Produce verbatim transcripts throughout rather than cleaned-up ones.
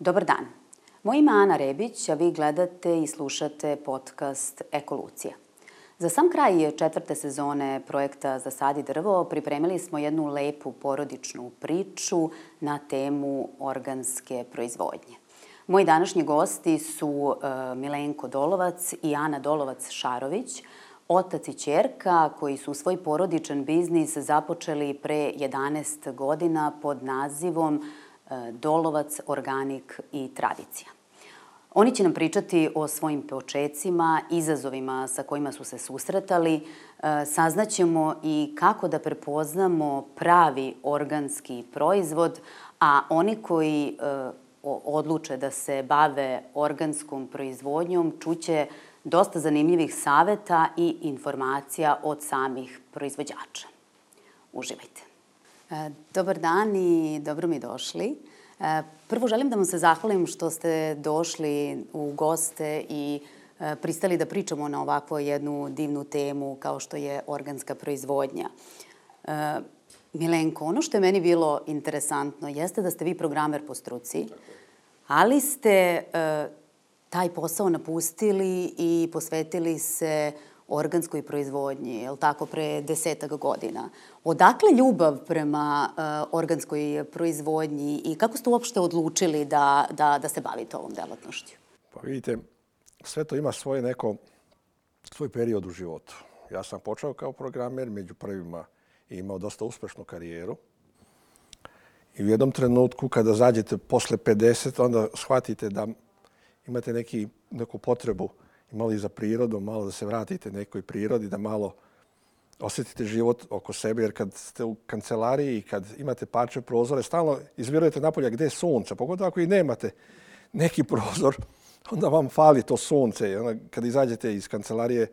Dobar dan. Moje ime je Ana Rebić, a vi gledate i slušate podcast Ekolucija. Za sam kraj četvrte sezone projekta Zasadi drvo pripremili smo jednu lepu porodičnu priču na temu organske proizvodnje. Moji današnji gosti su Milenko Dolovac i Ana Dolovac-Šarović, otac i ćerka koji su svoj porodičan biznis započeli pre jedanaest godina pod nazivom Dolovac, organik i tradicija. Oni će nam pričati o svojim počecima, izazovima sa kojima su se susretali. Saznaćemo i kako da prepoznamo pravi organski proizvod, a oni koji odluče da se bave organskom proizvodnjom čuće dosta zanimljivih saveta i informacija od samih proizvođača. Uživajte. Dobar dan i dobro mi došli. Prvo želim da vam se zahvalim što ste došli u goste i pristali da pričamo na ovakvu jednu divnu temu kao što je organska proizvodnja. Milenko, ono što je meni bilo interesantno jeste da ste vi programer po struci, ali ste taj posao napustili i posvetili se organskoj proizvodnji, je li tako, pre desetak godina. Odakle ljubav prema uh, organskoj proizvodnji i kako ste uopšte odlučili da, da, da se bavite ovom delatnošću? Pa vidite, sve to ima svoje neko, svoj period u životu. Ja sam počeo kao programer, među prvima i imao dosta uspešnu karijeru. I u jednom trenutku, kada zađete posle pedeset, onda shvatite da imate neki, neku potrebu i malo i za prirodom, malo da se vratite nekoj prirodi, da malo osjetite život oko sebe, jer kad ste u kancelariji i kad imate parče prozore, stalno izvirujete napolje gde je sunce, pogotovo ako i nemate neki prozor, onda vam fali to sunce. I onda kad izađete iz kancelarije,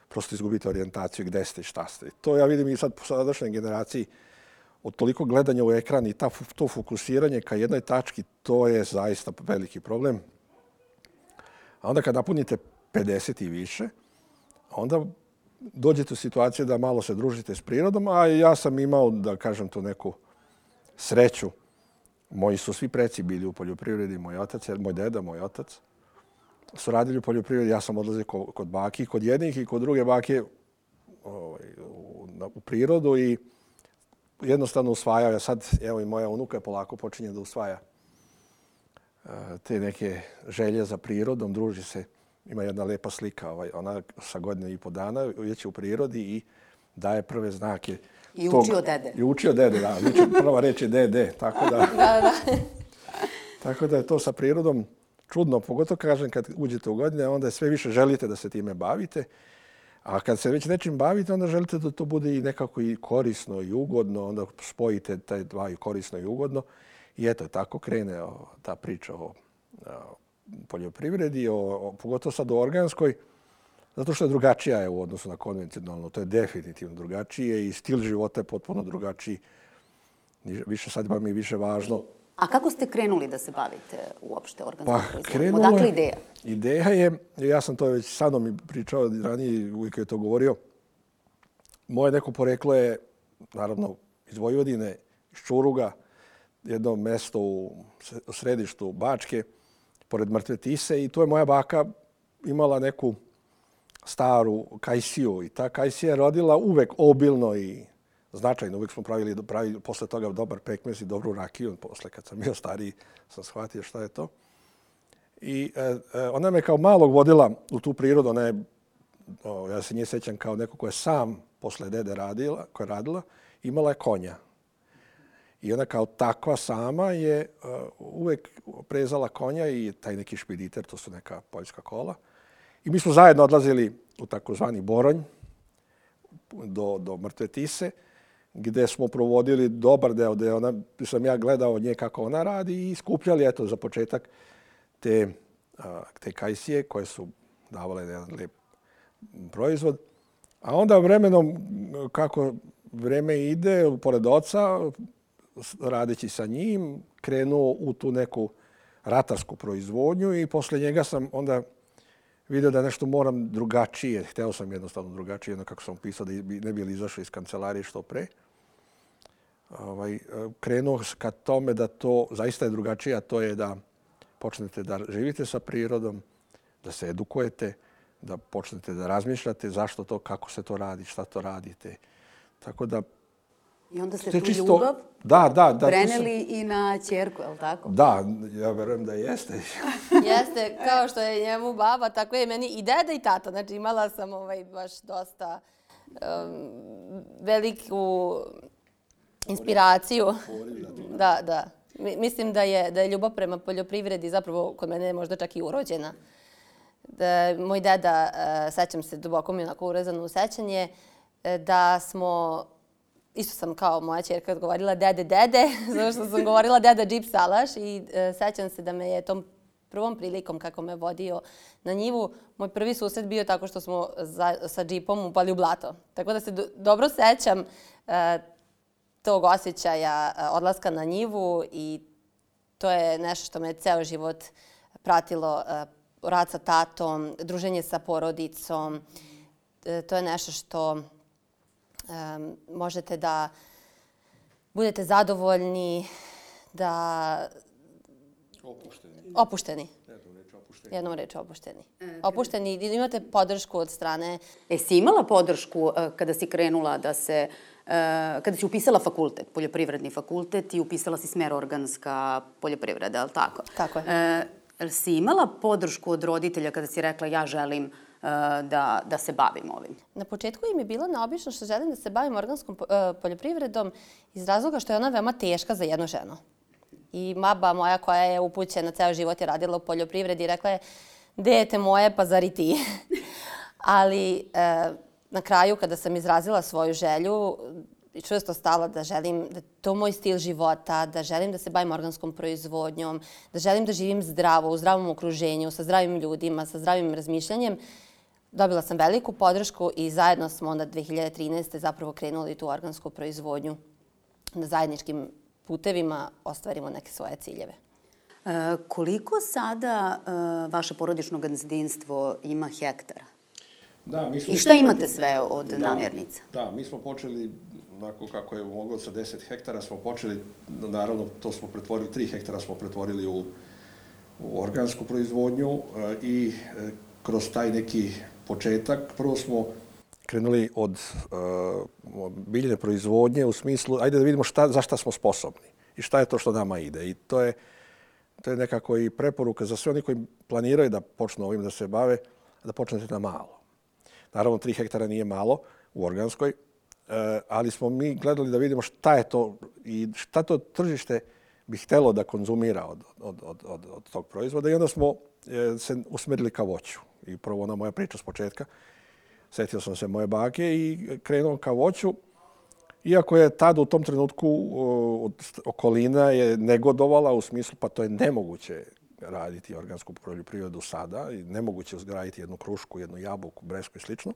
prosto izgubite orijentaciju gde ste i šta ste. To ja vidim i sad po sadašnjoj generaciji, od toliko gledanja u ekran i ta, to fokusiranje ka jednoj tački, to je zaista veliki problem. A onda kad napunite pedeset i više, onda dođete u situaciju da malo se družite s prirodom, a ja sam imao, da kažem to, neku sreću. Moji su svi preci bili u poljoprivredi, moj otac, moj deda, moj otac su radili u poljoprivredi. Ja sam odlazio kod baki, kod jednih i kod druge bake ovaj, u, u prirodu i jednostavno usvajao. Ja sad, evo i moja unuka polako počinje da usvaja te neke želje za prirodom, druži se. Ima jedna lepa slika, ovaj, ona sa godine i po dana je u prirodi i daje prve znake. I uči od dede. I uči od dede, da. Uči, prva reč je dede, tako da... da, da. Tako da je to sa prirodom čudno. Pogotovo kažem kad uđete u godine, onda sve više želite da se time bavite. A kad se već nečim bavite, onda želite da to bude i nekako i korisno i ugodno. Onda spojite taj dva i korisno i ugodno. I eto, tako krene o, ta priča o, o poljoprivredi, o, o, pogotovo sad o organskoj, zato što je drugačija je u odnosu na konvencionalno. To je definitivno drugačije i stil života je potpuno drugačiji. Više sad vam je više važno. A kako ste krenuli da se bavite uopšte organskom pa, proizvodnjom? Odakle ideja? Ideja je, ja sam to već sa mnom pričao ranije, uvijek je to govorio, moje neko poreklo je, naravno, iz Vojvodine, iz Čuruga, jedno mesto u središtu Bačke, pored Mrtve Tise, i tu je moja baka imala neku staru kajsiju i ta kajsija je rodila uvek obilno i značajno. Uvek smo pravili, pravili posle toga dobar pekmez i dobru rakiju. Posle kad sam bio stariji sam shvatio šta je to. I e, ona me kao malog vodila u tu prirodu. Ona je, o, ja se nje sećam kao neko ko je sam posle dede radila, koja je radila, imala je konja. I ona kao takva sama je uh, uvek prezala konja i taj neki špediter, to su neka poljska kola. I mi smo zajedno odlazili u takozvani Boronj do, do Mrtve Tise, gde smo provodili dobar deo, gde ona, sam ja gledao od nje kako ona radi i skupljali, eto, za početak te, uh, te kajsije koje su davale jedan lep proizvod. A onda vremenom, kako vreme ide, pored oca, radeći sa njim, krenuo u tu neku ratarsku proizvodnju i posle njega sam onda vidio da nešto moram drugačije. Hteo sam jednostavno drugačije, jedno kako sam pisao, da ne bi li izašao iz kancelarije što pre. Ovaj, krenuo ka tome da to zaista je drugačije, a to je da počnete da živite sa prirodom, da se edukujete, da počnete da razmišljate zašto to, kako se to radi, šta to radite. Tako da... I onda ste tu ljubav da, da, da, preneli sam... i na ćerku, je li tako? Da, ja verujem da jeste. Jeste, kao što je njemu baba, tako je meni i deda i tata. Znači imala sam ovaj, baš dosta um, veliku inspiraciju. Da, da. Mislim da je, da je ljubav prema poljoprivredi zapravo kod mene možda čak i urođena. Da, moj deda, uh, sećam se, duboko mi onako urezano u sećanje, da smo, isto sam kao moja ćerka odgovorila dede, dede, zato što sam govorila deda džip salaš i uh, sećam se da me je tom prvom prilikom kako me vodio na njivu, moj prvi susret bio tako što smo za, sa džipom upali u blato. Tako da se do, dobro sećam uh, tog osjećaja uh, odlaska na njivu i to je nešto što me ceo život pratilo, uh, rad sa tatom, druženje sa porodicom. Uh, to je nešto što um, možete da budete zadovoljni, da... Opušteni. Opušteni. Jednom reč opušteni. Jednom reč opušteni. Opušteni i imate podršku od strane... E, si imala podršku kada si krenula da se... Kada si upisala fakultet, poljoprivredni fakultet i upisala si smer organska poljoprivreda, je li tako? Tako je. E, si imala podršku od roditelja kada si rekla ja želim da, da se bavim ovim? Na početku im je bilo neobično što želim da se bavim organskom poljoprivredom iz razloga što je ona veoma teška za jednu ženu. I baba moja koja je upućena, ceo život je radila u poljoprivredi, rekla je, dete moje, pa zar i ti? Ali e, na kraju, kada sam izrazila svoju želju, čvrsto stala da želim, da to moj stil života, da želim da se bavim organskom proizvodnjom, da želim da živim zdravo, u zdravom okruženju, sa zdravim ljudima, sa zdravim razmišljanjem, dobila sam veliku podršku i zajedno smo onda dve hiljade trinaeste. zapravo krenuli tu organsku proizvodnju na zajedničkim putevima ostvarimo neke svoje ciljeve. E, koliko sada e, vaše porodično gazdinstvo ima hektara? Da, mi smo... I šta imate sve od da, namirnica? Da, mi smo počeli, onako kako je moglo sa deset hektara, smo počeli, naravno to smo pretvorili, tri hektara smo pretvorili u, u organsku proizvodnju e, i e, kroz taj neki početak, prvo smo krenuli od uh, biljne proizvodnje u smislu, ajde da vidimo šta, za šta smo sposobni i šta je to što nama ide. I to je, to je nekako i preporuka za sve oni koji planiraju da počnu ovim da se bave, da počnete na malo. Naravno, tri hektara nije malo u organskoj, uh, ali smo mi gledali da vidimo šta je to i šta to tržište bi htelo da konzumira od, od, od, od, od tog proizvoda. I onda smo uh, se usmerili ka voću. I prvo ona moja priča s početka. Sjetio sam se moje bake i krenuo ka voću. Iako je tada u tom trenutku od okolina je negodovala u smislu pa to je nemoguće raditi organsku poljoprivredu sada i nemoguće uzgajiti jednu krušku, jednu jabuku, bresku i slično.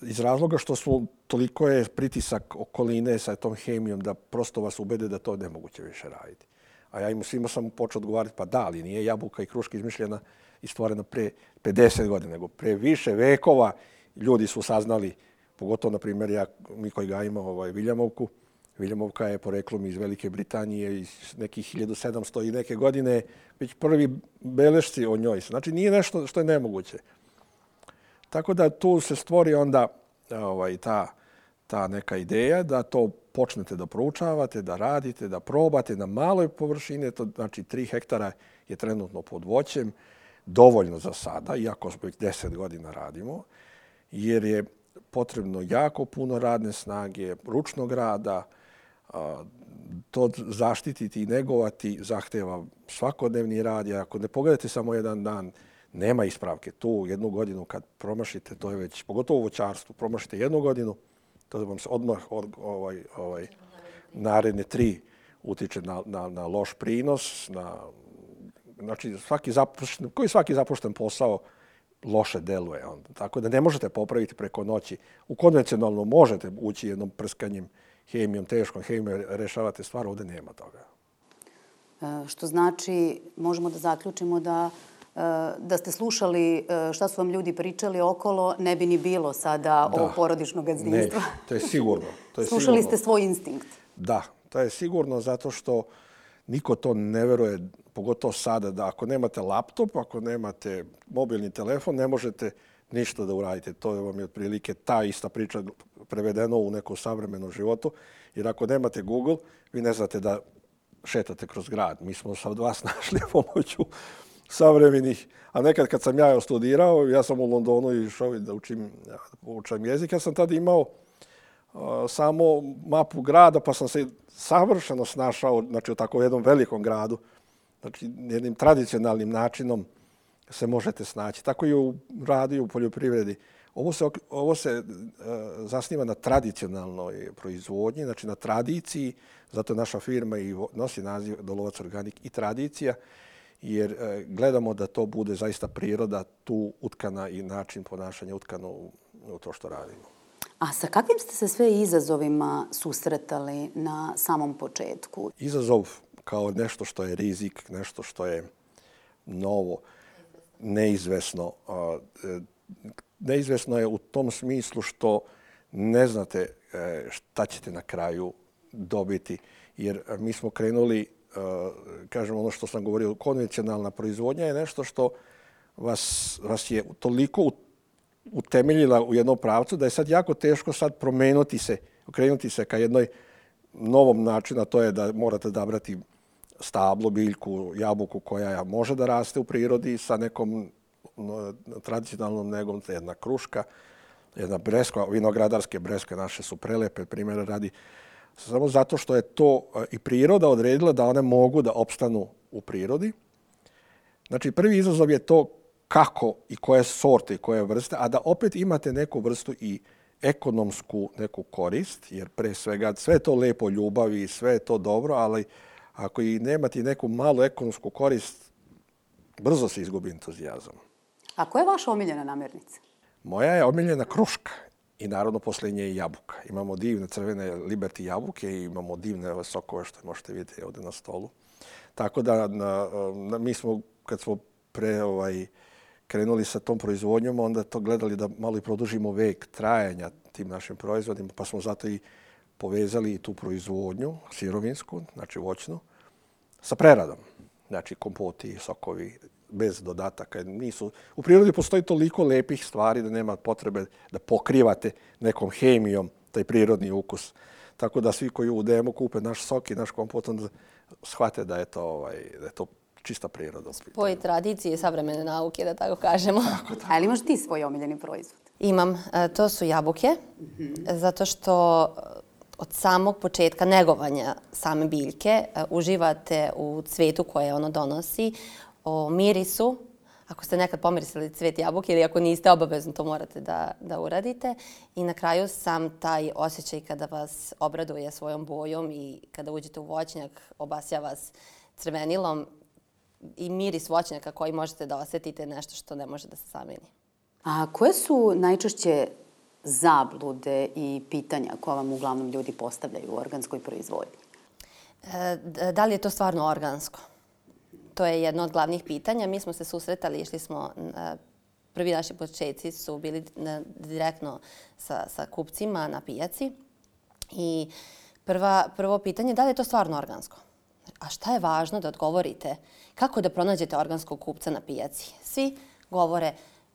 Iz razloga što su toliko je pritisak okoline sa tom hemijom da prosto vas ubede da to je nemoguće više raditi. A ja im svima sam počeo odgovarati pa da, ali nije jabuka i kruška izmišljena i stvorena pre pedeset godina, nego pre više vekova ljudi su saznali, pogotovo, na primjer, ja, mi koji gajimo ovaj, Viljamovku. Viljamovka je poreklom iz Velike Britanije iz nekih hiljadu sedamsto i neke godine, već prvi belešci o njoj. Znači, nije nešto što je nemoguće. Tako da tu se stvori onda ovaj, ta, ta neka ideja da to počnete da proučavate, da radite, da probate na maloj površini. To znači tri hektara je trenutno pod voćem, dovoljno za sada, iako već deset godina radimo, jer je potrebno jako puno radne snage, ručnog rada, to zaštititi i negovati zahteva svakodnevni rad. Jer ako ne pogledate samo jedan dan, nema ispravke. Tu jednu godinu kad promašite, to je već, pogotovo u voćarstvu, promašite jednu godinu, to vam se odmah od, ovaj, ovaj, naredne tri utiče na, na, na loš prinos, na, znači svaki zapušten, koji svaki zapušten posao loše deluje. Onda. Tako da ne možete popraviti preko noći. U konvencionalno možete ući jednom prskanjem hemijom, teškom hemijom, rešavate stvar, ovdje nema toga. E, što znači, možemo da zaključimo da da ste slušali šta su vam ljudi pričali okolo, ne bi ni bilo sada ovo porodično gazdinstvo. Ne, to je sigurno. To je Slušali sigurno. ste svoj instinkt. Da, to je sigurno zato što niko to ne veruje, pogotovo sada, da ako nemate laptop, ako nemate mobilni telefon, ne možete ništa da uradite. To vam je otprilike ta ista priča prevedeno u nekom savremenom životu. Jer ako nemate Google, vi ne znate da šetate kroz grad. Mi smo sad vas našli pomoću savremenih. A nekad kad sam ja studirao, ja sam u Londonu išao da učim, učim jezik, ja sam tada imao uh, samo mapu grada, pa sam se savršeno snašao, znači u tako jednom velikom gradu, znači jednim tradicionalnim načinom se možete snaći. Tako i u radu, u poljoprivredi. Ovo se, ovo se uh, zasniva na tradicionalnoj proizvodnji, znači na tradiciji, zato je naša firma i nosi naziv Dolovac Organik i tradicija, jer uh, gledamo da to bude zaista priroda tu utkana i način ponašanja utkano u, u to što radimo. A sa kakvim ste se sve izazovima susretali na samom početku? Izazov kao nešto što je rizik, nešto što je novo, neizvesno. Neizvesno je u tom smislu što ne znate šta ćete na kraju dobiti. Jer mi smo krenuli, kažem ono što sam govorio, konvencionalna proizvodnja je nešto što vas, vas je toliko utemeljila u jednom pravcu da je sad jako teško sad promenuti se, okrenuti se ka jednoj novom načinu, a to je da morate odabrati stablo, biljku, jabuku koja može da raste u prirodi sa nekom tradicionalnom negom, jedna kruška, jedna breskva, vinogradarske breskve naše su prelepe, primjera radi, samo zato što je to i priroda odredila da one mogu da opstanu u prirodi. Znači, prvi izazov je to kako i koje sorte i koje vrste, a da opet imate neku vrstu i ekonomsku neku korist, jer pre svega sve je to lepo ljubavi, sve je to dobro, ali ako i nemate neku malu ekonomsku korist, brzo se izgubi entuzijazam. A koja je vaša omiljena namirnica? Moja je omiljena kruška i naravno posle nje i jabuka. Imamo divne crvene Liberty jabuke i imamo divne sokove što možete vidjeti ovdje na stolu. Tako da na, na, mi smo, kad smo pre ovaj, krenuli sa tom proizvodnjom, onda to gledali da malo i produžimo vek trajanja tim našim proizvodima, pa smo zato i povezali i tu proizvodnju sirovinsku, znači voćnu, sa preradom. Znači kompoti, sokovi, bez dodataka. Nisu, u prirodi postoji toliko lepih stvari da nema potrebe da pokrivate nekom hemijom taj prirodni ukus. Tako da svi koji u D M-u kupe naš sok i naš kompot, onda shvate da je to, ovaj, da je to čista priroda. Spoj tradicije i savremene nauke, da tako kažemo. Tako da. A li imaš ti svoj omiljeni proizvod? Imam. To su jabuke, mm-hmm. zato što od samog početka negovanja same biljke uživate u cvetu koje ono donosi, o mirisu. Ako ste nekad pomirisali cvet jabuke ili ako niste, obavezno to morate da, da uradite. I na kraju sam taj osjećaj kada vas obraduje svojom bojom i kada uđete u voćnjak, obasja vas crvenilom i miris voćnjaka koji možete da osjetite nešto što ne može da se zameni. A koje su najčešće zablude i pitanja koja vam uglavnom ljudi postavljaju u organskoj proizvodnji? E, da li je to stvarno organsko? To je jedno od glavnih pitanja. Mi smo se susretali, išli smo, prvi naši početci su bili direktno sa, sa kupcima na pijaci. I prva, prvo pitanje je da li je to stvarno organsko? A šta je važno da odgovorite? Kako da pronađete organskog kupca na pijaci? Svi govore,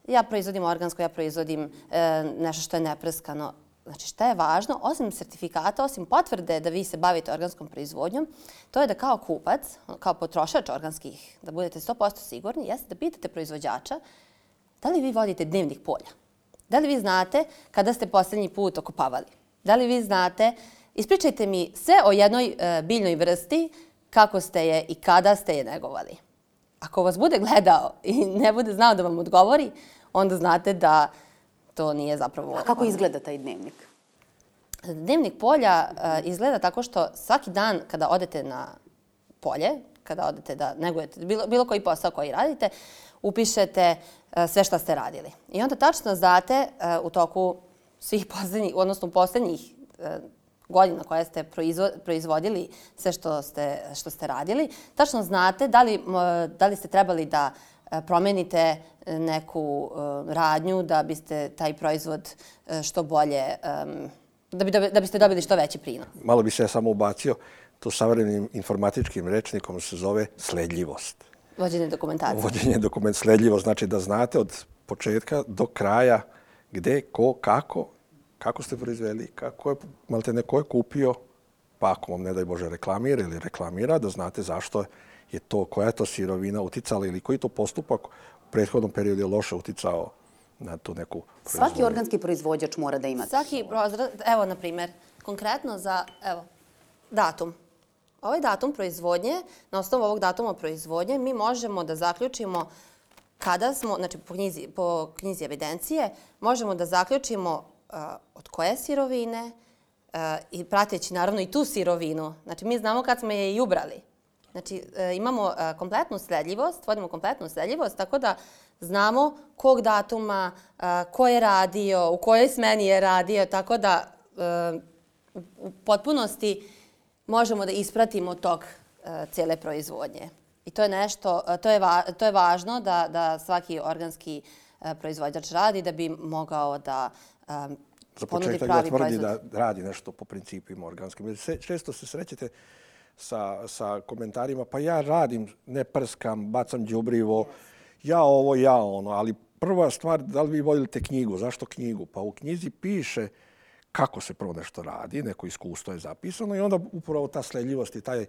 ja proizvodim organsko, ja proizvodim e, nešto što je neprskano. Znači, šta je važno, osim sertifikata, osim potvrde da vi se bavite organskom proizvodnjom, to je da kao kupac, kao potrošač organskih, da budete sto posto sigurni, jeste da pitate proizvođača da li vi vodite dnevnik polja. Da li vi znate kada ste posljednji put okopavali? Da li vi znate, ispričajte mi sve o jednoj e, biljnoj vrsti, kako ste je i kada ste je negovali. Ako vas bude gledao i ne bude znao da vam odgovori, onda znate da to nije zapravo... A kako izgleda taj dnevnik? Dnevnik polja uh, izgleda tako što svaki dan kada odete na polje, kada odete da negujete bilo, bilo koji posao koji radite, upišete uh, sve što ste radili. I onda tačno znate uh, u toku svih poslednjih, odnosno poslednjih uh, godina koje ste proizvo, proizvodili sve što ste, što ste radili, tačno znate da li, uh, da li ste trebali da promenite neku uh, radnju da biste taj proizvod uh, što bolje, um, da, bi, da biste dobili što veći prinos. Malo bi se samo ubacio. To savremenim informatičkim rečnikom se zove sledljivost. Vođenje dokumentacije. Vođenje dokument sledljivost znači da znate od početka do kraja gde, ko, kako, kako ste proizveli, kako je, malte neko je kupio, pa ako vam ne daj Bože reklamira ili reklamira, da znate zašto je to, koja je to sirovina uticala ili koji to postupak u prethodnom periodu je loše uticao na tu neku proizvodnju. Svaki organski proizvođač mora da ima. Svaki prozor, evo na primjer, konkretno za, evo, datum. Ovaj datum proizvodnje, na osnovu ovog datuma proizvodnje, mi možemo da zaključimo kada smo, znači po knjizi, po knjizi evidencije, možemo da zaključimo uh, od koje sirovine uh, i prateći naravno i tu sirovinu. Znači mi znamo kad smo je i ubrali. Znači uh, imamo uh, kompletnu sledljivost, vodimo kompletnu sledljivost, tako da znamo kog datuma, uh, ko je radio, u kojoj smeni je radio, tako da uh, u potpunosti možemo da ispratimo tok uh, cijele proizvodnje. I to je nešto, to je, va, to je važno da, da svaki organski uh, proizvođač radi da bi mogao da um, Za ponudi početak pravi da tvrdi proizvod. da radi nešto po principima organskim. Često se srećete sa, sa komentarima, pa ja radim, ne prskam, bacam đubrivo, ja ovo, ja ono, ali prva stvar, da li vi vodite knjigu? Zašto knjigu? Pa u knjizi piše kako se prvo nešto radi, neko iskustvo je zapisano i onda upravo ta sledljivost i taj,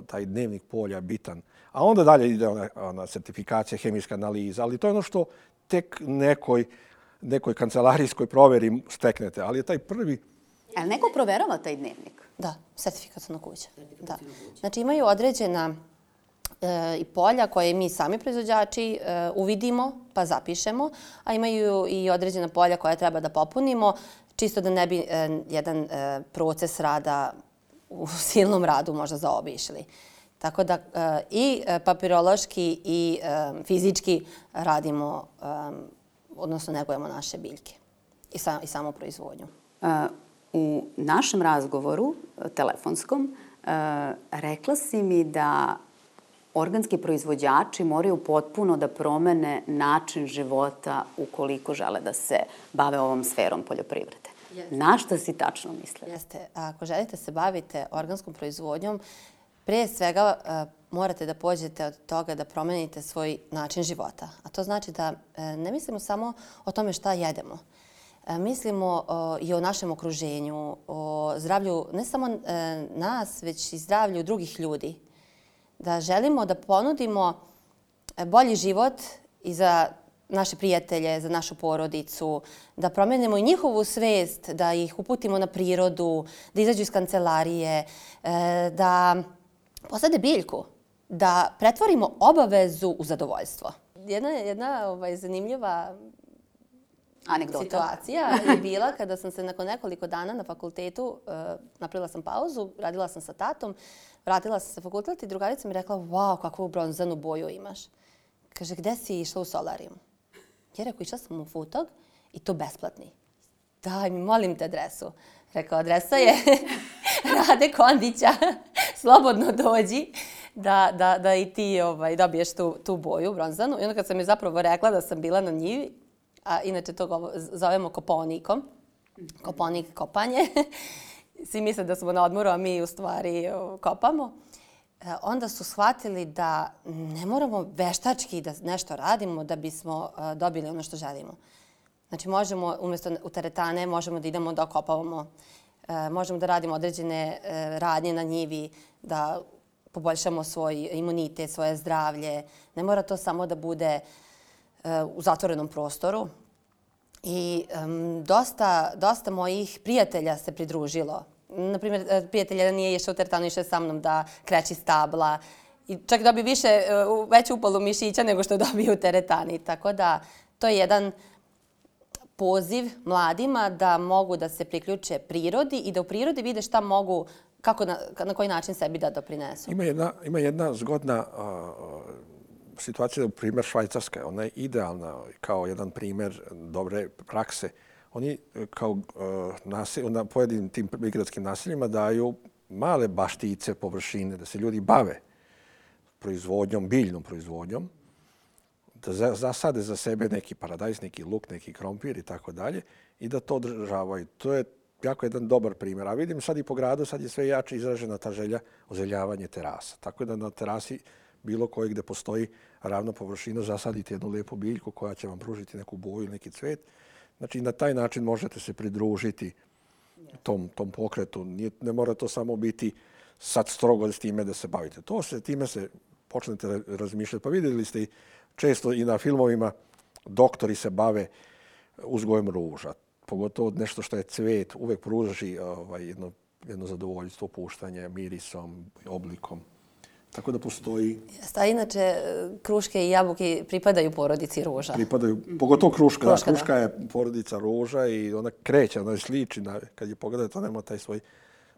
taj dnevnik polja je bitan. A onda dalje ide ona, ona certifikacija, hemijska analiza, ali to je ono što tek nekoj, nekoj kancelarijskoj proveri steknete. Ali je taj prvi... Ali neko proverava taj dnevnik? Da, sertifikaciona kuća. Da. Znači imaju određena e, i polja koje mi sami proizvođači e, uvidimo pa zapišemo, a imaju i određena polja koja treba da popunimo, čisto da ne bi e, jedan e, proces rada u silnom radu možda zaobišli. Tako da e, i papirološki i e, fizički radimo, e, odnosno negujemo naše biljke i, sam, i samu proizvodnju. Uh, u našem razgovoru telefonskom uh, rekla si mi da organski proizvođači moraju potpuno da promene način života ukoliko žele da se bave ovom sferom poljoprivrede. Jeste. Na šta si tačno mislila? Jeste. Ako želite se bavite organskom proizvodnjom, prije svega uh, morate da pođete od toga da promenite svoj način života. A to znači da uh, ne mislimo samo o tome šta jedemo. Uh, mislimo uh, i o našem okruženju, o zdravlju ne samo uh, nas, već i zdravlju drugih ljudi. Da želimo da ponudimo bolji život i za naše prijatelje, za našu porodicu, da promenimo i njihovu svest, da ih uputimo na prirodu, da izađu iz kancelarije, da posade biljku, da pretvorimo obavezu u zadovoljstvo. Jedna, jedna ovaj, zanimljiva anegdota situacija je bila kada sam se nakon nekoliko dana na fakultetu, uh, napravila sam pauzu, radila sam sa tatom, vratila sam se fakultet i drugarica mi rekla, wow, kakvu bronzanu boju imaš. Kaže, gde si išla u solarijum? Ja rekao, išla sam u Futog i to besplatni. Daj mi, molim te adresu. Rekao, adresa je Rade Kondića, slobodno dođi da, da, da i ti ovaj, dobiješ tu, tu boju bronzanu. I onda kad sam je zapravo rekla da sam bila na njivi, a inače to zovemo koponikom, koponik kopanje, svi misle da smo na odmoru, a mi u stvari kopamo, onda su shvatili da ne moramo veštački da nešto radimo da bismo dobili ono što želimo. Znači možemo, umjesto u teretane, možemo da idemo da okopavamo, možemo da radimo određene radnje na njivi, da poboljšamo svoj imunitet, svoje zdravlje. Ne mora to samo da bude u zatvorenom prostoru. I um, dosta, dosta mojih prijatelja se pridružilo. Naprimjer, prijatelj jedan nije išao u teretanu, išao je sa mnom da kreći stabla. I čak dobio više, veću upalu mišića nego što dobio u teretani. Tako da to je jedan poziv mladima da mogu da se priključe prirodi i da u prirodi vide šta mogu, kako na, na koji način sebi da doprinesu. Ima jedna, ima jedna zgodna uh, situacija, primjer Švajcarska. Ona je idealna kao jedan primjer dobre prakse. Oni kao uh, naselj, na pojedinim tim prigradskim naseljima daju male baštice, površine, da se ljudi bave proizvodnjom, biljnom proizvodnjom, da zasade za sebe neki paradajz, neki luk, neki krompir i tako dalje i da to održavaju. To je jako jedan dobar primjer. A vidim sad i po gradu, sad je sve jače izražena ta želja ozeljavanje terasa. Tako da na terasi bilo koje gdje postoji ravna površina zasadite jednu lijepu biljku koja će vam pružiti neku boju, neki cvet. Znači na taj način možete se pridružiti tom, tom pokretu. Nije, ne mora to samo biti sad strogo s time da se bavite. To se, time se počnete razmišljati. Pa vidjeli ste i često i na filmovima doktori se bave uzgojem ruža. Pogotovo nešto što je cvet, uvijek pruži ovaj, jedno, jedno zadovoljstvo, puštanje, mirisom, oblikom. Tako da postoji... Sta, inače, kruške i jabuke pripadaju porodici ruža. Pripadaju, pogotovo kruška. Kruška, da, kruška da. je porodica ruža i ona kreće, ona je sliči. Na, kad je pogledate, ona ima taj svoj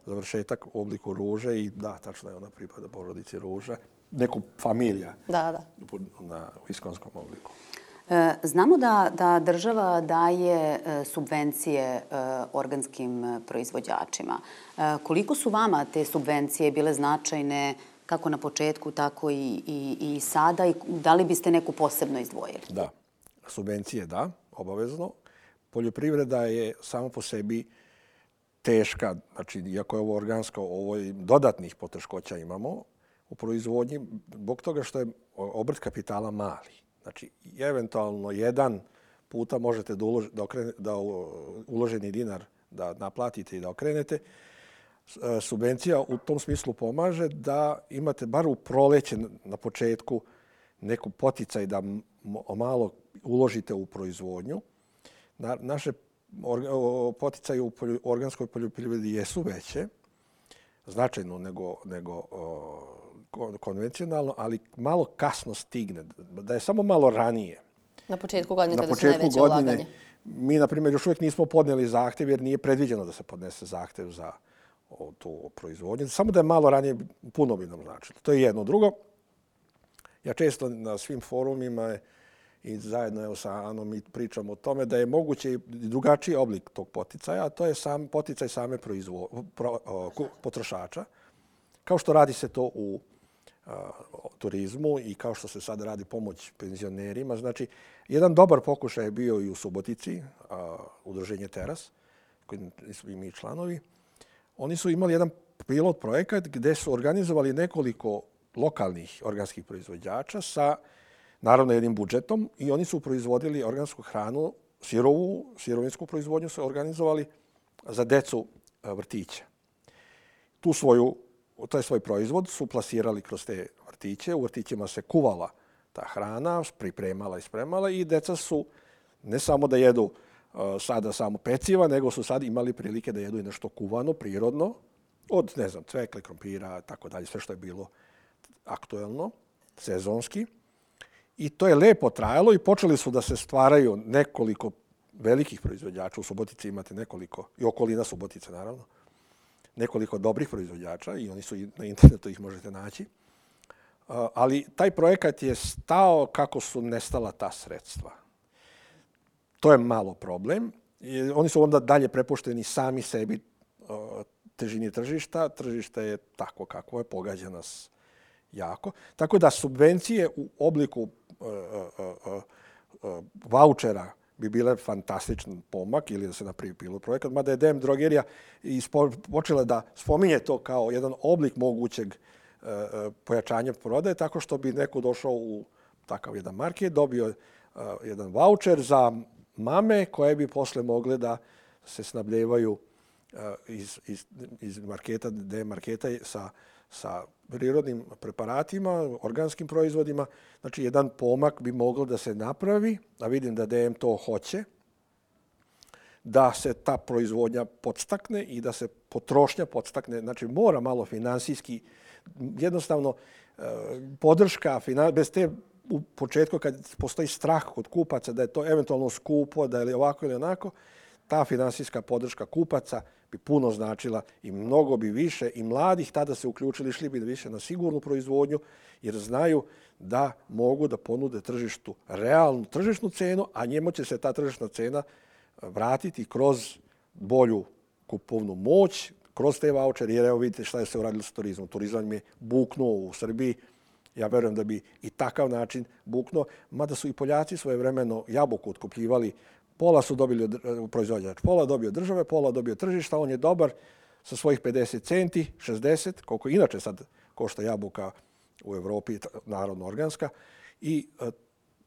završetak u obliku ruže i da, tačno je, ona pripada porodici ruža. Neku familija da, da. na iskonskom obliku. Znamo da, da država daje subvencije organskim proizvođačima. Koliko su vama te subvencije bile značajne kako na početku, tako i, i, i sada? I da li biste neku posebno izdvojili? Da, subvencije da, obavezno. Poljoprivreda je samo po sebi teška. Znači, iako je ovo organsko, ovo je dodatnih poteškoća imamo u proizvodnji, zbog toga što je obrt kapitala mali. Znači, eventualno jedan puta možete da, ulož, da, okrene, da uloženi dinar da naplatite i da okrenete. Subvencija u tom smislu pomaže da imate bar u proleće na početku neku poticaj da malo uložite u proizvodnju. Na, naše poticaje u organskoj poljoprivredi jesu veće, značajno nego, nego o, konvencionalno, ali malo kasno stigne, da je samo malo ranije. Na početku godine kada su najveće ulaganje. Mi, na primjer, još uvijek nismo podnijeli zahtjev jer nije predviđeno da se podnese zahtjev za o, tu proizvodnju. Samo da je malo ranije, puno bi nam značilo. To je jedno. Drugo, ja često na svim forumima i zajedno evo, sa Anom mi pričamo o tome da je moguće i drugačiji oblik tog poticaja, a to je sam poticaj same proizvo, pro, o, potrošača. Kao što radi se to u a, turizmu i kao što se sad radi pomoć penzionerima. Znači, jedan dobar pokušaj je bio i u Subotici, a, udruženje Teras, koji su i mi članovi. Oni su imali jedan pilot projekat gdje su organizovali nekoliko lokalnih organskih proizvođača sa, naravno, jednim budžetom i oni su proizvodili organsku hranu, sirovu, sirovinsku proizvodnju su organizovali za decu vrtića. Tu svoju taj svoj proizvod su plasirali kroz te vrtiće. U vrtićima se kuvala ta hrana, pripremala i spremala i deca su ne samo da jedu uh, sada samo peciva, nego su sad imali prilike da jedu i nešto kuvano, prirodno, od, ne znam, cvekle, krompira, tako dalje, sve što je bilo aktuelno, sezonski. I to je lepo trajalo i počeli su da se stvaraju nekoliko velikih proizvođača. U Subotici imate nekoliko, i okolina Subotice, naravno, nekoliko dobrih proizvođača i oni su i na internetu, ih možete naći. Ali taj projekat je stao kako su nestala ta sredstva. To je malo problem. Oni su onda dalje prepušteni sami sebi težini tržišta. Tržište je tako kako je, pogađa nas jako. Tako da subvencije u obliku vaučera bi bile fantastičan pomak ili da se napravi pilot projekat, mada je D M Drogerija počela da spominje to kao jedan oblik mogućeg pojačanja prodaje, tako što bi neko došao u takav jedan market, dobio jedan vaučer za mame koje bi posle mogle da se snabljevaju iz, iz, iz marketa, D M marketa sa, sa prirodnim preparatima, organskim proizvodima. Znači, jedan pomak bi moglo da se napravi, a vidim da D M to hoće, da se ta proizvodnja podstakne i da se potrošnja podstakne. Znači, mora malo finansijski, jednostavno, podrška, bez te u početku kad postoji strah kod kupaca da je to eventualno skupo, da je ovako ili onako, ta finansijska podrška kupaca bi puno značila i mnogo bi više i mladih tada se uključili, išli bi više na sigurnu proizvodnju jer znaju da mogu da ponude tržištu realnu tržišnu cenu, a njemu će se ta tržišna cena vratiti kroz bolju kupovnu moć, kroz te vaučere, jer evo vidite šta je se uradilo sa turizmom. Turizam je buknuo u Srbiji. Ja verujem da bi i takav način buknuo, mada su i Poljaci svojevremeno jabuku otkupljivali Pola su dobili od, proizvođač, pola dobio države, pola dobio tržišta, on je dobar sa svojih pedeset centi, šezdeset, koliko inače sad košta jabuka u Evropi, narodno organska. I uh,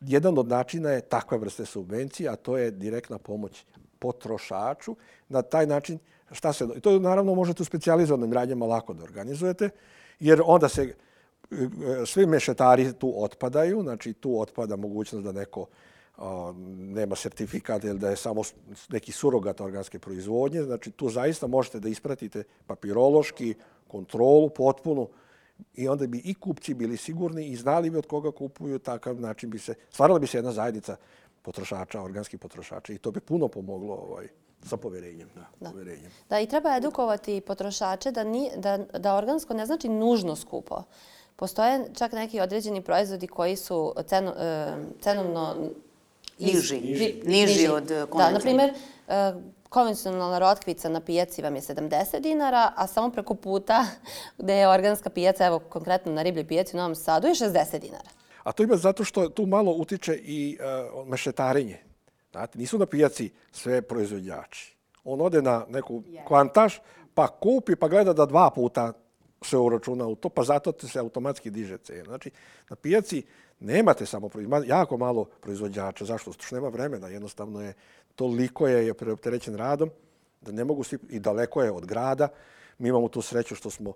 jedan od načina je takva vrste subvencije, a to je direktna pomoć potrošaču. Na taj način, šta se... To naravno možete u specijalizovanim radnjama lako da organizujete, jer onda se svi mešetari tu otpadaju, znači tu otpada mogućnost da neko a, nema sertifikat ili da je samo neki surogat organske proizvodnje. Znači tu zaista možete da ispratite papirološki, kontrolu potpunu i onda bi i kupci bili sigurni i znali bi od koga kupuju, takav način bi se, stvarala bi se jedna zajednica potrošača, organskih potrošača i to bi puno pomoglo ovaj, sa poverenjem. Da, da. Poverenjem. Da, i treba edukovati potrošače da, ni, da, da organsko ne znači nužno skupo. Postoje čak neki određeni proizvodi koji su ceno, cenovno niži, niži. niži od konvencionalnog. Da, na primjer, konvencionalna rotkvica na pijaci vam je sedamdeset dinara, a samo preko puta gde je organska pijaca, evo konkretno na ribljoj pijaci u Novom Sadu, je šezdeset dinara. A to ima zato što tu malo utiče i uh, mešetarenje. Znate, nisu na pijaci sve proizvođači. On ode na neku kvantaž, pa kupi, pa gleda da dva puta se uračuna u to, pa zato se automatski diže cena. Znači, na pijaci nemate samo proizvođača, jako malo proizvođača. Zašto? Zato što nema vremena. Jednostavno je, toliko je, je preopterećen radom da ne mogu svi, i daleko je od grada. Mi imamo tu sreću što smo,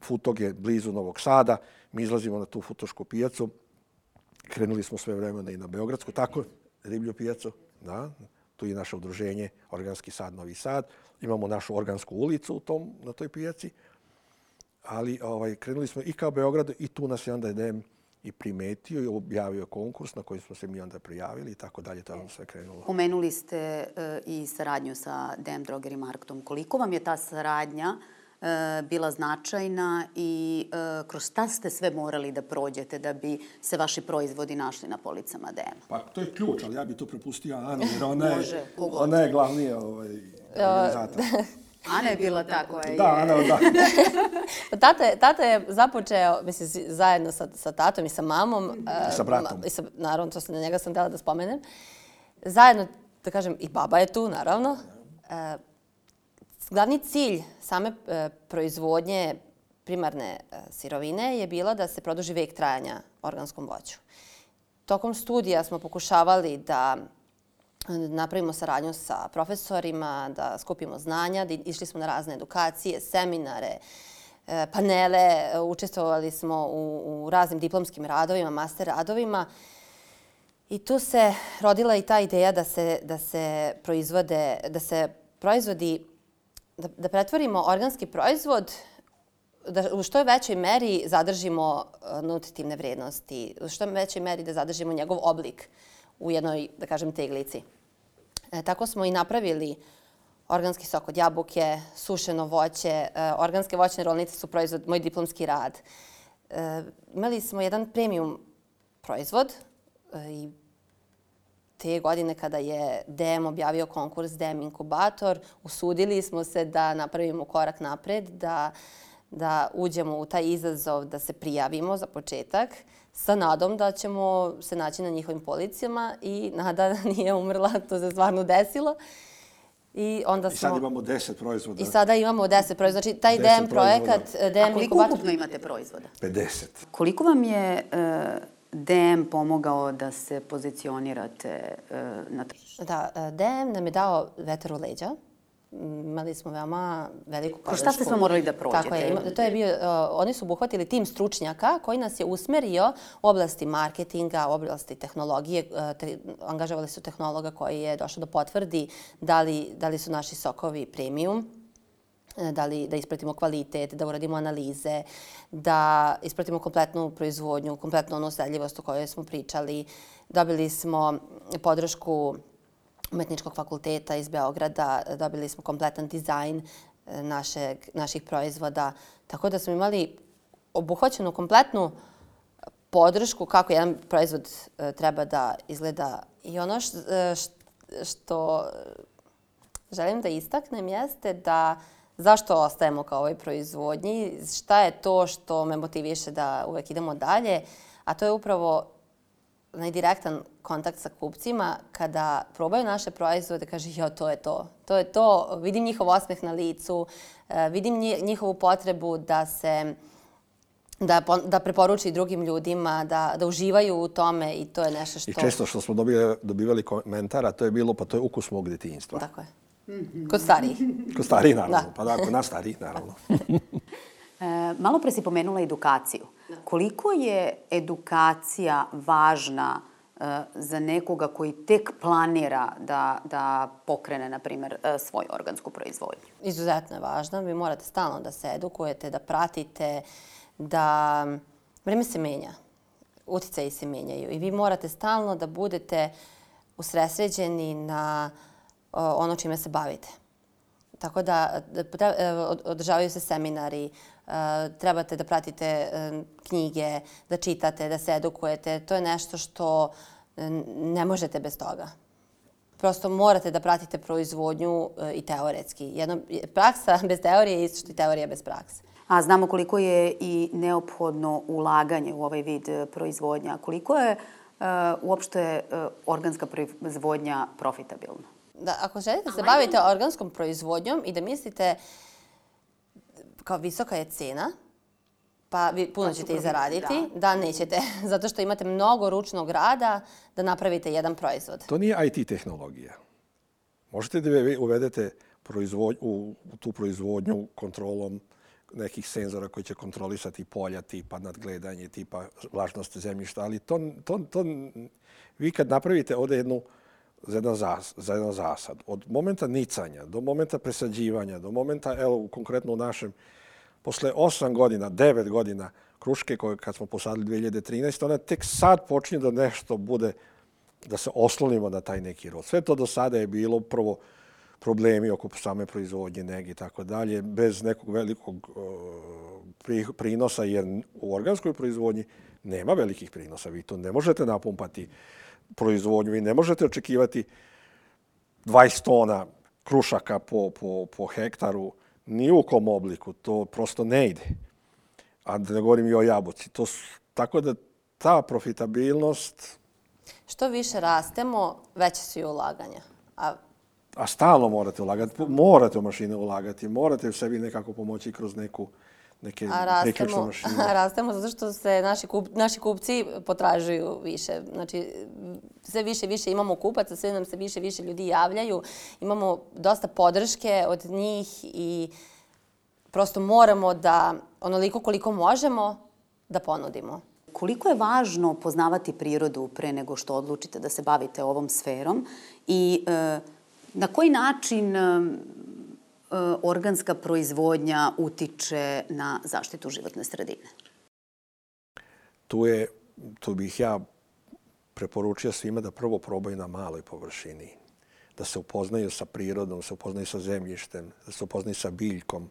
Futog je blizu Novog Sada, mi izlazimo na tu futošku pijacu. Krenuli smo sve vremena i na Beogradsku, tako, riblju pijacu. Da, tu je naše udruženje Organski sad Novi Sad. Imamo našu organsku ulicu u tom, na toj pijaci. Ali ovaj, krenuli smo i kao Beograd i tu nas je onda D M i primetio i objavio konkurs na koji smo se mi onda prijavili i tako dalje. To je sve krenulo. Pomenuli ste uh, i saradnju sa D M Drogery Marketom. Koliko vam je ta saradnja uh, bila značajna i uh, kroz šta ste sve morali da prođete da bi se vaši proizvodi našli na policama D M-a? Pa to je ključ, ali ja bi to prepustio Anu, jer ona je, Može, ona je glavni ovaj, organizator. Ana je bila ta koja je... Da, Ana, da. tata, je, tata je započeo, mislim, zajedno sa, sa tatom i sa mamom. I sa bratom. I sa, naravno, to sam, na njega sam htjela da spomenem. Zajedno, da kažem, i baba je tu, naravno. E, glavni cilj same e, proizvodnje primarne e, sirovine je bila da se produži vek trajanja organskom voću. Tokom studija smo pokušavali da napravimo saradnju sa profesorima, da skupimo znanja, da išli smo na razne edukacije, seminare, panele, učestvovali smo u, u raznim diplomskim radovima, master radovima. I tu se rodila i ta ideja da se, da se proizvode, da se proizvodi, da, da pretvorimo organski proizvod, da u što većoj meri zadržimo nutritivne vrednosti, u što većoj meri da zadržimo njegov oblik u jednoj, da kažem, teglici. E, tako smo i napravili organski sok od jabuke, sušeno voće. E, organske voćne rolnice su proizvod, moj diplomski rad. E, imali smo jedan premium proizvod e, i te godine kada je D M objavio konkurs D M inkubator, usudili smo se da napravimo korak napred, da, da uđemo u taj izazov, da se prijavimo za početak, sa nadom da ćemo se naći na njihovim policijama i nada nije umrla, to se stvarno desilo. I, onda smo... I sad imamo deset proizvoda. I sada imamo deset proizvoda. Znači, taj D M projekat... D M A koliko inkubator... ukupno imate proizvoda? pedeset. Koliko vam je uh, D M pomogao da se pozicionirate uh, na tržištu? Da, D M nam je dao vetar u leđa. Imali smo veoma veliku podršku. Kroz šta ste sve morali da prođete? Tako je. To je bio, uh, oni su obuhvatili tim stručnjaka koji nas je usmerio u oblasti marketinga, u oblasti tehnologije. Uh, te, angažovali su tehnologa koji je došao da potvrdi da li, da li su naši sokovi premium, da li da ispratimo kvalitet, da uradimo analize, da ispratimo kompletnu proizvodnju, kompletnu onu sledljivost o kojoj smo pričali. Dobili smo podršku Umetničkog fakulteta iz Beograda, dobili smo kompletan dizajn našeg, naših proizvoda. Tako da smo imali obuhvaćenu kompletnu podršku kako jedan proizvod treba da izgleda. I ono što, što želim da istaknem jeste da zašto ostajemo kao ovoj proizvodnji, šta je to što me motiviše da uvek idemo dalje, a to je upravo onaj direktan kontakt sa kupcima, kada probaju naše proizvode, kaže, jo, to je to. To je to. Vidim njihov osmeh na licu, vidim njihovu potrebu da se Da, da preporuči drugim ljudima, da, da uživaju u tome i to je nešto što... I često što smo dobili, dobivali komentara, to je bilo, pa to je ukus mog djetinjstva. Tako je. Kod starijih. Kod starijih, naravno. Da. Pa da, kod nas starijih, naravno. e, malo pre si pomenula edukaciju. Da. Koliko je edukacija važna e, za nekoga koji tek planira da, da pokrene, na primjer, e, svoju organsku proizvodnju? Izuzetno je važna. Vi morate stalno da se edukujete, da pratite, da vreme se menja, uticaji se menjaju i vi morate stalno da budete usredsređeni na ono čime se bavite. Tako da održavaju se seminari, trebate da pratite knjige, da čitate, da se edukujete. To je nešto što ne možete bez toga. Prosto morate da pratite proizvodnju i teoretski. Jedno, praksa bez teorije je isto što i teorija bez prakse. A znamo koliko je i neophodno ulaganje u ovaj vid proizvodnja. Koliko je uh, uopšte uh, organska proizvodnja profitabilna? Da, ako želite da se bavite organskom proizvodnjom i da mislite kao visoka je cena, pa vi puno ćete i zaraditi, da. da nećete, zato što imate mnogo ručnog rada da napravite jedan proizvod. To nije I T tehnologija. Možete da vi uvedete proizvod, u, u tu proizvodnju kontrolom nekih senzora koji će kontrolisati polja, tipa nadgledanje, tipa vlažnost zemljišta, ali to, to, to vi kad napravite ovdje jednu za jedan, zas, za jedan zasad, od momenta nicanja do momenta presađivanja, do momenta, evo, konkretno u našem, posle osam godina, devet godina kruške koje kad smo posadili dvije hiljade trinaeste. ona tek sad počinje da nešto bude, da se oslonimo na taj neki rod. Sve to do sada je bilo prvo problemi oko same proizvodnje, nege i tako dalje, bez nekog velikog uh, prinosa, jer u organskoj proizvodnji nema velikih prinosa. Vi to ne možete napumpati proizvodnju, vi ne možete očekivati dvadeset tona krušaka po, po, po hektaru, ni u kom obliku, to prosto ne ide. A da ne govorim i o jabuci. To, tako da ta profitabilnost... Što više rastemo, veće su i ulaganja. A A stalno morate ulagati, morate u mašine ulagati, morate u sebi nekako pomoći kroz neku, neke priključne mašine. A rastemo zato što se naši, kup, naši kupci potražuju više. Znači, sve više više imamo kupaca, sve nam se više više ljudi javljaju. Imamo dosta podrške od njih i prosto moramo da onoliko koliko možemo da ponudimo. Koliko je važno poznavati prirodu pre nego što odlučite da se bavite ovom sferom i e, na koji način e, organska proizvodnja utiče na zaštitu životne sredine? Tu, je, tu bih ja preporučio svima da prvo probaju na maloj površini. Da se upoznaju sa prirodom, da se upoznaju sa zemljištem, da se upoznaju sa biljkom.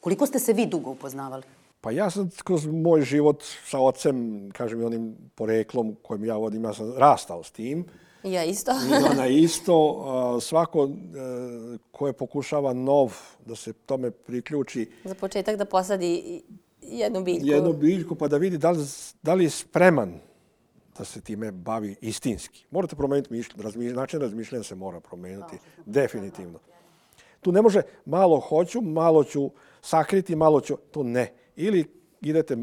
Koliko ste se vi dugo upoznavali? Pa ja sam kroz moj život sa ocem, kažem i onim poreklom kojim ja vodim, ja sam rastao s tim. Ja isto. I ona isto. Svako koje pokušava nov da se tome priključi. Za početak da posadi jednu biljku. Jednu biljku pa da vidi da li, da li je spreman da se time bavi istinski. Morate promijeniti mišljenje. Razmišlj, način razmišljanja se mora promijeniti. Definitivno. Tu ne može malo hoću, malo ću sakriti, malo ću... To ne. Ili idete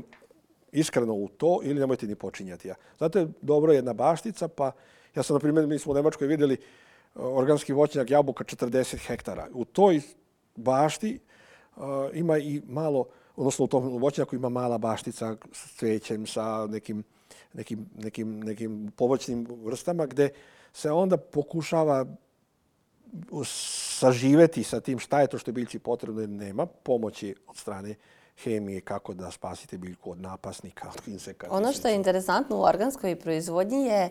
iskreno u to ili nemojte ni počinjati. Zato je dobro jedna baštica, pa ja sam, na primjer, mi smo u Nemačkoj vidjeli organski voćnjak jabuka četrdeset hektara. U toj bašti uh, ima i malo, odnosno u tom voćnjaku ima mala baštica s cvećem, sa nekim, nekim, nekim, nekim povoćnim vrstama, gde se onda pokušava saživeti sa tim šta je to što je biljci potrebno, jer nema pomoći od strane hemije kako da spasite biljku od napasnika, od insekata. Ono što je interesantno u organskoj proizvodnji je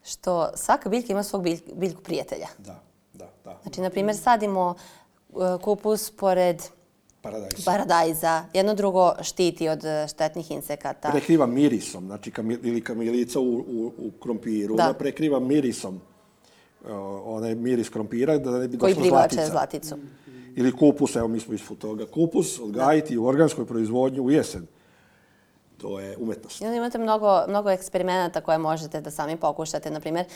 što svaka biljka ima svog bilj, biljku prijatelja. Da, da, da. Znači, na primjer, sadimo kupus pored paradajza. paradajza. Jedno drugo štiti od štetnih insekata. Prekriva mirisom, znači kamil, ili kamilica u, u, u krompiru, da. Prekriva mirisom uh, onaj miris krompira da ne bi došla zlatica. Koji privlače zlaticu. Ili kupus, evo mi smo ispod toga. Kupus odgajiti u organskoj proizvodnji u jesen. To je umetnost. I onda imate mnogo, mnogo eksperimenata koje možete da sami pokušate. Naprimjer,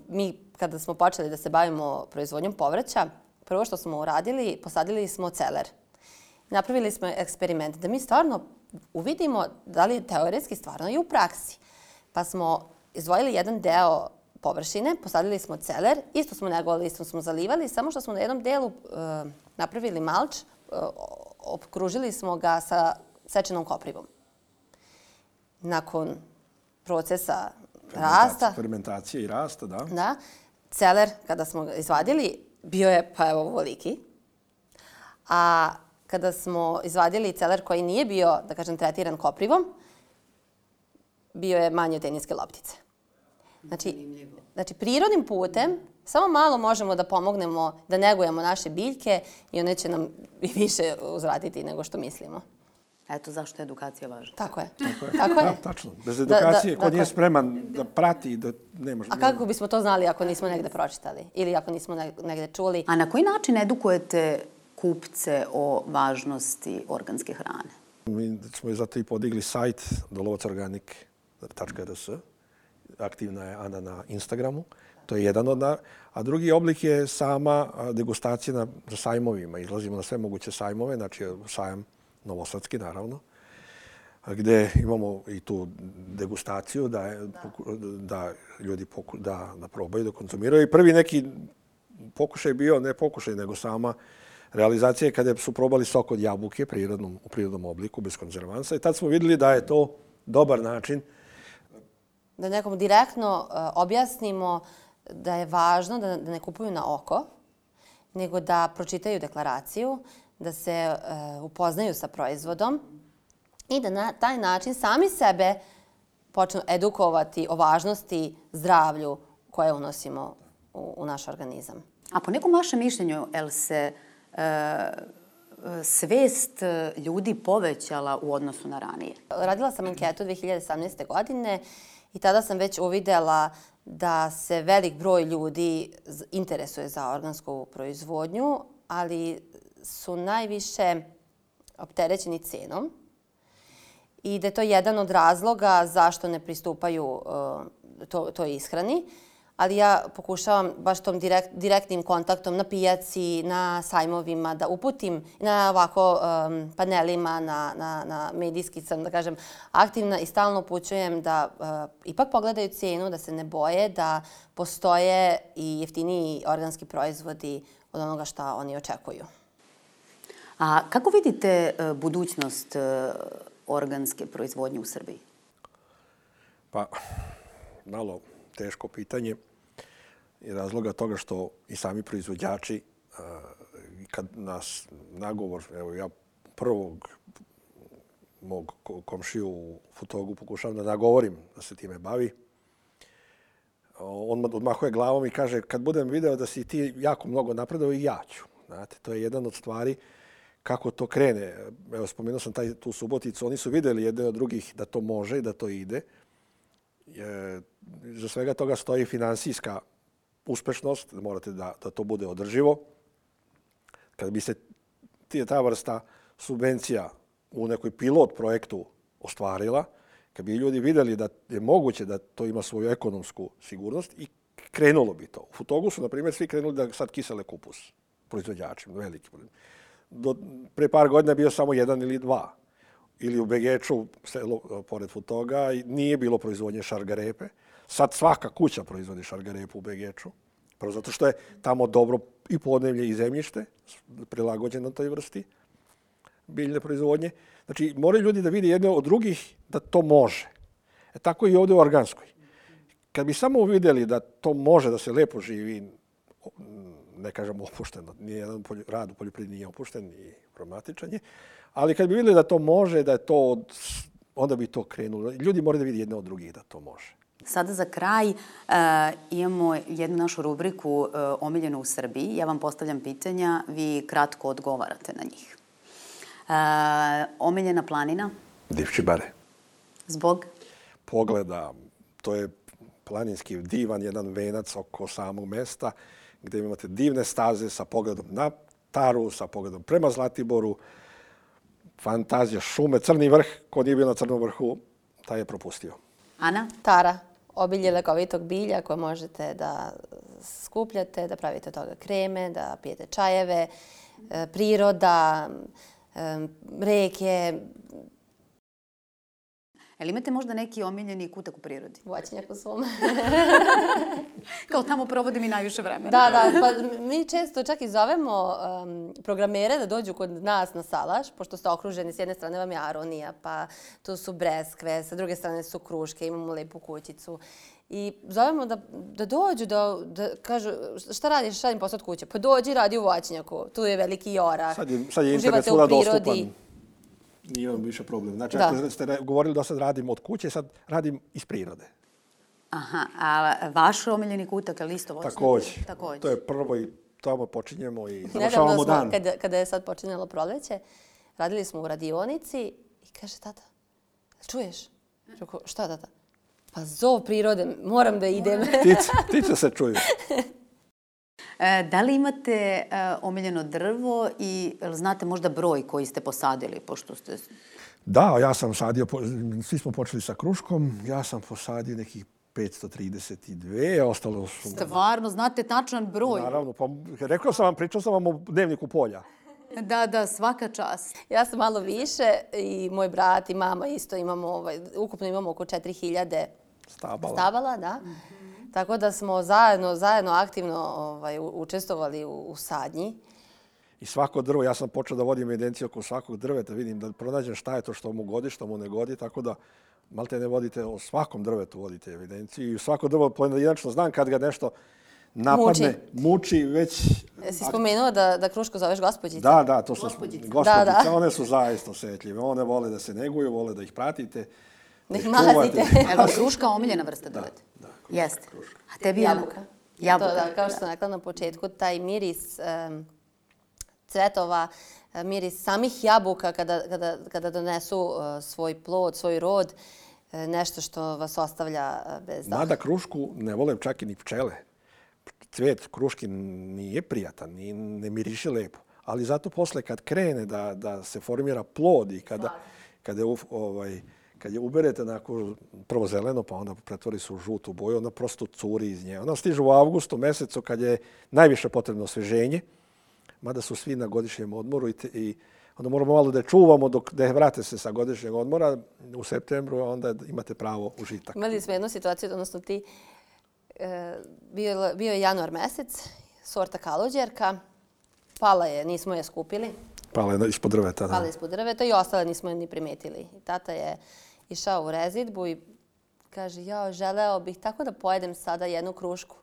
mi kada smo počeli da se bavimo proizvodnjom povrća, prvo što smo uradili, posadili smo celer. Napravili smo eksperiment da mi stvarno uvidimo da li je teoretski stvarno i u praksi. Pa smo izdvojili jedan deo površine, posadili smo celer, isto smo negovali, isto smo zalivali, samo što smo na jednom delu uh, napravili malč, uh, okružili smo ga sa sečenom koprivom. Nakon procesa rasta, fermentacije i rasta, da. Da, celer, kada smo ga izvadili, bio je, pa evo, ovoliki. A kada smo izvadili celer koji nije bio, da kažem, tretiran koprivom, bio je manji od teniske loptice. Znači, znači, prirodnim putem samo malo možemo da pomognemo, da negujemo naše biljke i one će nam i više uzvratiti nego što mislimo. Eto zašto je edukacija važna. Tako je. Tako je. Tako je. Da, tačno. Bez edukacije, Da, da, ko nije dakle. spreman da prati, da ne može... A kako bismo to znali ako nismo negde pročitali ili ako nismo negde čuli? A na koji način edukujete kupce o važnosti organske hrane? Mi smo zato i podigli sajt dolovac organic tačka r s. Aktivna je Ana na Instagramu. To je jedan od... Na... A drugi oblik je sama degustacija na sajmovima. Izlazimo na sve moguće sajmove, znači sajam Novosadski, naravno, gde imamo i tu degustaciju da, je, da ljudi poku, da, da probaju, da konzumiraju. I prvi neki pokušaj bio, ne pokušaj, nego sama realizacija kada su probali sok od jabuke prirodnom, u prirodnom obliku, bez konzervansa. I tad smo vidjeli da je to dobar način. Da nekom direktno uh, objasnimo da je važno da, da ne kupuju na oko, nego da pročitaju deklaraciju, da se uh, upoznaju sa proizvodom i da na taj način sami sebe počnu edukovati o važnosti zdravlju koje unosimo u, u naš organizam. A po nekom vašem mišljenju, el se uh, svest ljudi povećala u odnosu na ranije? Radila sam anketu dve hiljade osamnaeste. godine i tada sam već uvidela da se velik broj ljudi interesuje za organsku proizvodnju, ali su najviše opterećeni cenom i da je to jedan od razloga zašto ne pristupaju uh, to, toj ishrani. Ali ja pokušavam baš tom direkt, direktnim kontaktom na pijaci, na sajmovima, da uputim na ovako um, panelima, na, na, na medijski sam, da kažem, aktivna i stalno upućujem da uh, ipak pogledaju cijenu, da se ne boje, da postoje i jeftiniji organski proizvodi od onoga što oni očekuju. A kako vidite uh, budućnost uh, organske proizvodnje u Srbiji? Pa, malo teško pitanje i razloga toga što i sami proizvođači, kad nas nagovor, evo ja prvog mog komšiju u Futogu pokušavam da nagovorim da se time bavi, on odmahuje glavom i kaže kad budem video da si ti jako mnogo napredao i ja ću. Znate, to je jedan od stvari kako to krene. Evo, spomenuo sam taj, tu Suboticu, oni su vidjeli jedne od drugih da to može i da to ide. Je, za svega toga stoji finansijska uspešnost, morate da, da to bude održivo. Kad bi se ta vrsta subvencija u nekoj pilot projektu ostvarila, kad bi ljudi vidjeli da je moguće da to ima svoju ekonomsku sigurnost i krenulo bi to. U Futogu su, na primjer, svi krenuli da sad kisele kupus, proizvođači, veliki. Do, pre par godina bio samo jedan ili dva. Ili u Begeču, selo pored Futoga, nije bilo proizvodnje šargarepe. Sad svaka kuća proizvodi šargarepu u Begeču. Prvo zato što je tamo dobro i podneblje i zemljište, prilagođeno toj vrsti biljne proizvodnje. Znači, moraju ljudi da vide jedne od drugih da to može. E, tako i ovdje u organskoj. Kad bi samo uvidjeli da to može, da se lepo živi, ne kažem opušteno, nijedan rad u poljoprivredi nije opušten i problematičan je, ali kad bi vidjeli da to može, da je to, od, onda bi to krenulo. Ljudi moraju da vidi jedne od drugih da to može. Sada za kraj uh, imamo jednu našu rubriku uh, Omiljeno u Srbiji. Ja vam postavljam pitanja, vi kratko odgovarate na njih. Uh, omiljena planina? Divčibare. Zbog? Pogleda, to je planinski divan, jedan venac oko samog mesta, gdje imate divne staze sa pogledom na Taru, sa pogledom prema Zlatiboru, fantazija, šume, Crni vrh, ko nije bio na Crnom vrhu, taj je propustio. Ana? Tara, obilje lekovitog bilja koje možete da skupljate, da pravite od toga kreme, da pijete čajeve, priroda, reke. Jel imate možda neki omiljeni kutak u prirodi? Voćnjak u svom. Kao tamo provodim i najviše vremena. Da, da. Pa mi često čak i zovemo um, programere da dođu kod nas na salaš, pošto ste okruženi, s jedne strane vam je aronija, pa tu su breskve, sa druge strane su kruške, imamo lepu kućicu. I zovemo da, da dođu, da, da kažu šta radiš, radim posao od kuće? Pa dođi, radi u voćnjaku, tu je veliki orah, Sad je, sad je internet svuda dostupan. Nije vam više problem. Znači, da. Ako ste govorili da sad radim od kuće, sad radim iz prirode. Aha, a vaš omiljeni kutak, ali isto voćnjak? Također. Također. To je prvo i tamo počinjemo i završavamo Nedavno smo, dan. Kada, kada je sad počinjalo proleće, radili smo u radionici i kaže tata, čuješ? Rekao, šta tata? Pa zov prirode, moram da idem. Ptice, ptice se čuju. E, da li imate e, omiljeno drvo i znate možda broj koji ste posadili, pošto ste... Da, ja sam sadio, svi smo počeli sa kruškom, ja sam posadio nekih petsto trideset dva, ostalo su... Stvarno, znate tačan broj? Naravno, pa rekao sam vam, pričao sam vam o dnevniku polja. Da, da, svaka čast. Ja sam malo više i moj brat i mama isto imamo, ovaj, ukupno imamo oko četiri hiljade stabala. stabala, da. Mm-hmm. Tako da smo zajedno, zajedno aktivno ovaj, učestvovali u, u sadnji. I svako drvo, ja sam počeo da vodim evidenciju oko svakog drveta, vidim da pronađem šta je to što mu godi, što mu ne godi, tako da malte ne vodite, o svakom drvetu vodite evidenciju i svako drvo pojedinačno znam kad ga nešto napadne, muči, muči već... Jesi spomenuo da, da krušku zoveš gospođica? Da, da, to su gospođice. Da, da. One su zaista osjetljive. One vole da se neguju, vole da ih pratite. Da ih mazite. Evo, kruška omiljena vrsta drveta? Da, da. Jeste. Kruška. A tebi jabuka? Jabuka. To, da, kao što sam rekla na početku, taj miris um, cvetova, miris samih jabuka kada, kada, kada donesu uh, svoj plod, svoj rod, uh, nešto što vas ostavlja uh, bez daha. Mada krušku ne vole čak i ni pčele. Cvet kruški nije prijatan, nije, ne miriše lepo. Ali zato posle kad krene da, da se formira plod i kada, kada, je, ovaj, kad je uberete onako prvo zeleno, pa onda pretvori se u žutu boju, onda prosto curi iz nje. Ona stiže u avgustu mesecu kad je najviše potrebno osveženje, mada su svi na godišnjem odmoru i, te, i onda moramo malo da je čuvamo dok da vrate se sa godišnjeg odmora u septembru, a onda imate pravo užitak. Imali smo jednu situaciju, odnosno ti, Bio, bio je januar mesec, sorta kalođerka, pala je, nismo je skupili. Pala je ispod drveta, da. Pala je ispod drveta i ostale nismo je ni primetili. I tata je išao u rezidbu i kaže, ja želeo bih tako da pojedem sada jednu krušku.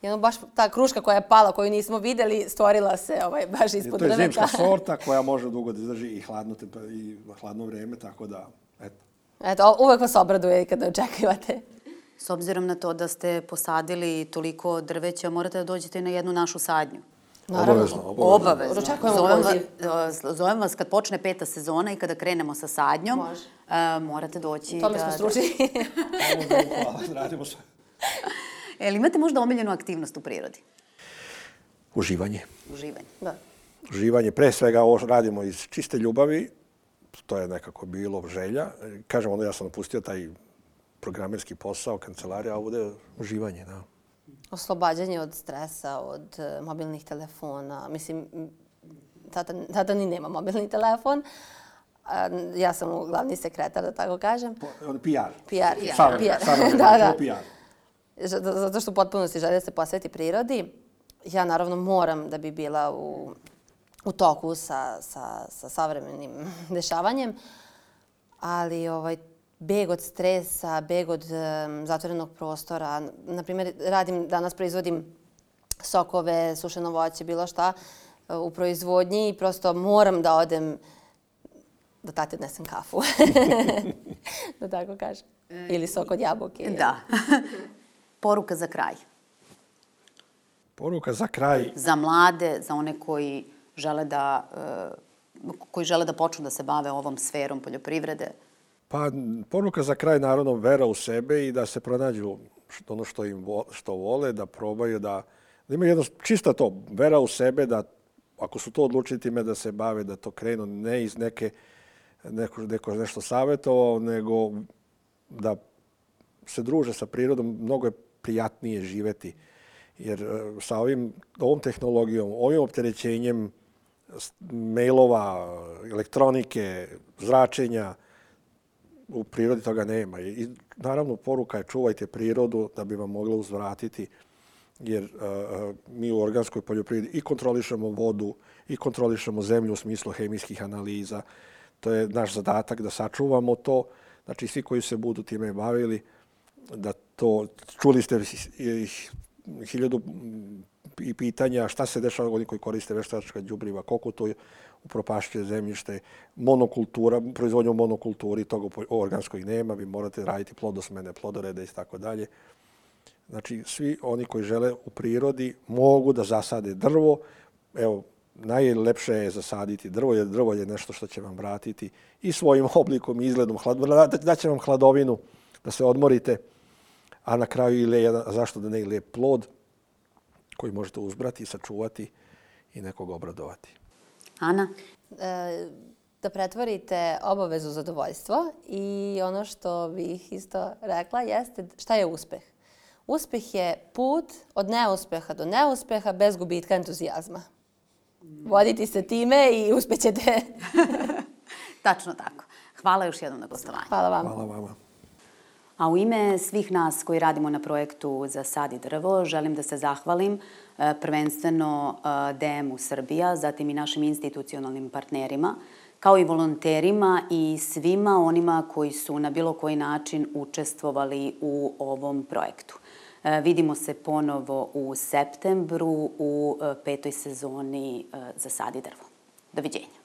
Jedno, baš ta kruška koja je pala, koju nismo vidjeli, stvorila se ovaj, baš ispod drveta. To je zimska sorta koja može dugo da izdrži i hladno, i hladno vrijeme, tako da, eto. Eto, uvek vas obraduje kada očekivate. S obzirom na to da ste posadili toliko drveća, morate da dođete na jednu našu sadnju. Obavezno, obavezno. Obavezno. Zovem vas, zovem vas kad počne peta sezona i kada krenemo sa sadnjom. Može. Uh, morate doći. To mi smo stručni. Hvala, radimo sve. Jel imate možda omiljenu aktivnost u prirodi? Uživanje. Uživanje. Da. Uživanje. Pre svega ovo radimo iz čiste ljubavi. To je nekako bilo želja. Kažem, onda ja sam napustio taj programerski posao, kancelarija, a ovdje uživanje, da. Oslobađanje od stresa, od uh, mobilnih telefona. Mislim, tata, tata ni nema mobilni telefon. A, ja sam glavni sekretar, da tako kažem. P R. P R. P R. Da, da. P R. Zato što u potpunosti želi da se posveti prirodi. Ja naravno moram da bi bila u, u toku sa, sa, sa savremenim dešavanjem. Ali ovaj, beg od stresa, beg od um, zatvorenog prostora. Naprimjer, radim, danas proizvodim sokove, sušeno voće, bilo šta uh, u proizvodnji i prosto moram da odem da tati odnesem kafu. Da tako kažem. Ili sok od jabuke. Da. Poruka za kraj. Poruka za kraj. Za mlade, za one koji žele da, uh, koji žele da počnu da se bave ovom sferom poljoprivrede. Pa poruka za kraj, naravno, vera u sebe i da se pronađu ono što im vo, što vole, da probaju, da, da imaju jedno čisto to, vera u sebe, da ako su to odlučili time da se bave, da to krenu ne iz neke, neko, neko nešto savjetovao, nego da se druže sa prirodom, mnogo je prijatnije živeti. Jer sa ovim, ovom tehnologijom, ovim opterećenjem mailova, elektronike, zračenja, u prirodi toga nema. I naravno poruka je čuvajte prirodu da bi vam mogla uzvratiti, jer uh, mi u organskoj poljoprivredi i kontrolišemo vodu i kontrolišemo zemlju u smislu hemijskih analiza. To je naš zadatak da sačuvamo to. Znači svi koji se budu time bavili, da to, čuli ste hiljadu i pitanja šta se dešava oni koji koriste veštačka đubriva, koliko to upropašćuje zemljište, monokultura, proizvodnja u monokulturi, toga u organskoj nema, vi morate raditi plodosmene, plodorede i tako dalje. Znači, svi oni koji žele u prirodi mogu da zasade drvo. Evo, najlepše je zasaditi drvo, jer drvo je nešto što će vam vratiti i svojim oblikom i izgledom. Daće vam hladovinu da se odmorite, a na kraju i le, zašto da ne i lijep plod koji možete uzbrati, sačuvati i nekog obradovati. Ana? E, da pretvorite obavezu u zadovoljstvo i ono što bih isto rekla jeste šta je uspeh. Uspeh je put od neuspeha do neuspeha bez gubitka entuzijazma. Voditi se time i uspećete. Tačno tako. Hvala još jednom na gostovanju. Hvala vam. Hvala vama. A u ime svih nas koji radimo na projektu Zasadi drvo, želim da se zahvalim prvenstveno D M-u Srbija, zatim i našim institucionalnim partnerima, kao i volonterima i svima onima koji su na bilo koji način učestvovali u ovom projektu. Vidimo se ponovo u septembru u petoj sezoni Zasadi drvo. Doviđenja.